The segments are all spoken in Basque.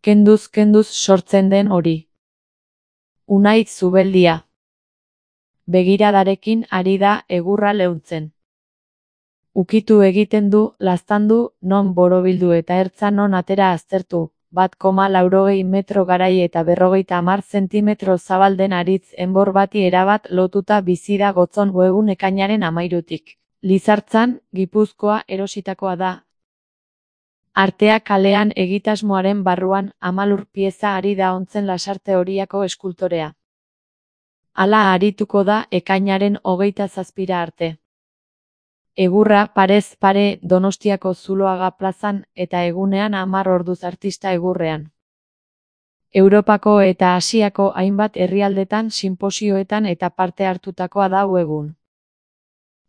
Kenduz sortzen den hori. Unai Zubeldia. Begiradarekin ari da egurra leuntzen. Ukitu egiten du, laztandu, non borobildu eta ertza non atera aztertu, 1,80 metro garai eta 50 zentimetro zabal den aritz enbor bati erabat lotuta bizi da Gotzon webun ekainaren 13. Lizartzan, Gipuzkoa erositakoa da. Artea kalean egitasmoaren barruan 10 pieza ari da ontzen Lasarte Horiako eskultorea. Hala arituko da ekainaren 27 arte. Egurra parez pare Donostiako Zuloaga plazan eta egunean 10 orduz artista egurrean. Europako eta Asiako hainbat herrialdetan sinposioetan eta parte hartutakoa da egun.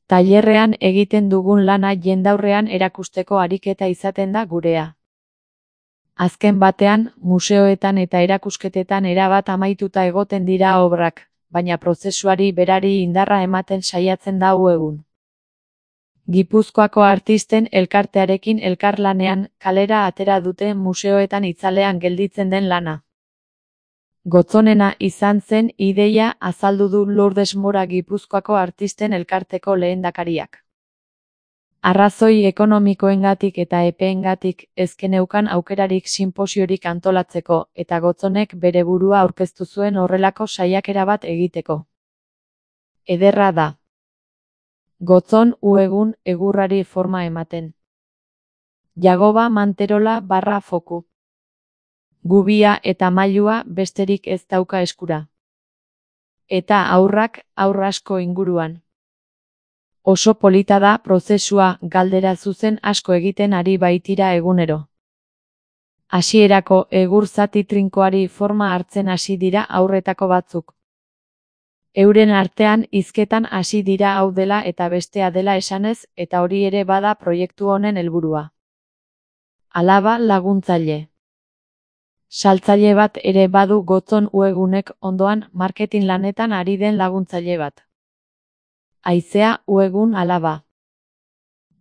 Tailerrean egiten dugun lana jendaurrean erakusteko ariketa izaten da gurea. Azken batean, museoetan eta erakusketetan erabat amaituta egoten dira obrak, baina prozesuari berari indarra ematen saiatzen da egun. Gipuzkoako artisten elkartearekin elkarlanean kalera atera dute museoetan itzalean gelditzen den lana. Gotzonena izan zen ideia azaldu du Lourdes Mora Gipuzkoako artisten elkarteko lehendakariak. Arrazoi ekonomikoengatik eta epeengatik ez geneukan aukerarik sinposiorik antolatzeko eta Gotzonek bere burua aurkeztu zuen horrelako saiakera bat egiteko. Ederra da. Gotzon egun egurrari forma ematen. Jagoba Manterola /foku. Gubia eta mailua besterik ez dauka eskura. Eta aurrak aur asko inguruan. Oso polita da prozesua, galdera zuzen asko egiten ari baitira egunero. Hasierako egur zati trinkoari forma hartzen hasi dira aurretako batzuk. Euren artean hizketan hasi dira hau dela eta bestea dela esanez eta hori ere bada proiektu honen helburua. Alaba laguntzaile. Saltzaile bat ere badu Gotzon egunek ondoan marketing lanetan ari den laguntzaile bat. Aizea egun alaba.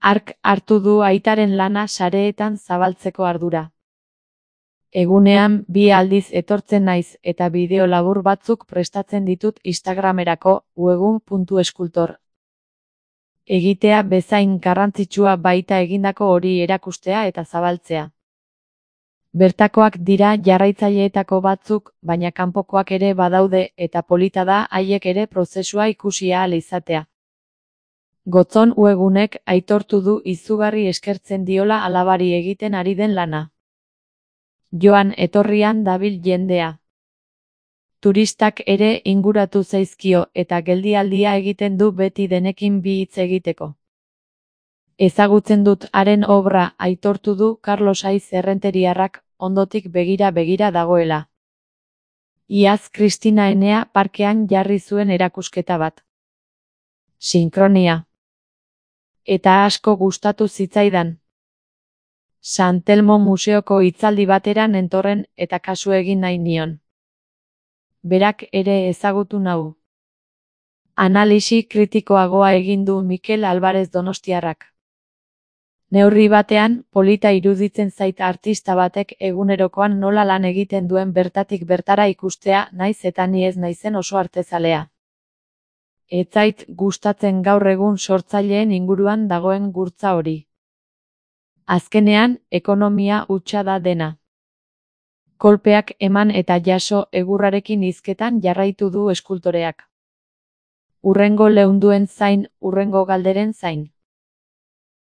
Hark hartu du aitaren lana sareetan zabaltzeko ardura. Egunean 2 aldiz etortzen naiz eta bideo labur batzuk prestatzen ditut Instagramerako uegun.eskultor. Egitea bezain garrantzitsua baita egindako hori erakustea eta zabaltzea. Bertakoak dira jarraitzaileetako batzuk, baina kanpokoak ere badaude eta polita da haiek ere prozesua ikusi ahal izatea. Gotzon egunek aitortu du izugarri eskertzen diola alabari egiten ari den lana. Joan etorrian dabil jendea. Turistak ere inguratu zaizkio eta geldialdia egiten du beti denekin bi hitz egiteko. Ezagutzen dut haren obra aitortu du Carlos Aiz Errenteriarrak ondotik begira dagoela. Iaz Kristina Enea parkean jarri zuen erakusketa bat. Sinkronia. Eta asko gustatu zitzaidan. San Telmo museoko hitzaldi batera nentorren eta kasu egin nahi nion. Berak ere ezagutu nau. Analisi kritikoagoa egin du Mikel Alvarez Donostiarrak. Neurri batean, polita iruditzen zait artista batek egunerokoan nola lan egiten duen bertatik bertara ikustea, naiz eta ni ez naizen oso artezalea. Ez zait gustatzen gaur egun sortzaileen inguruan dagoen gurtza hori. Azkenean, ekonomia hutsa da dena. Kolpeak eman eta jaso egurrarekin hizketan jarraitu du eskultoreak. Hurrengo leunduen zain, hurrengo galderen zain.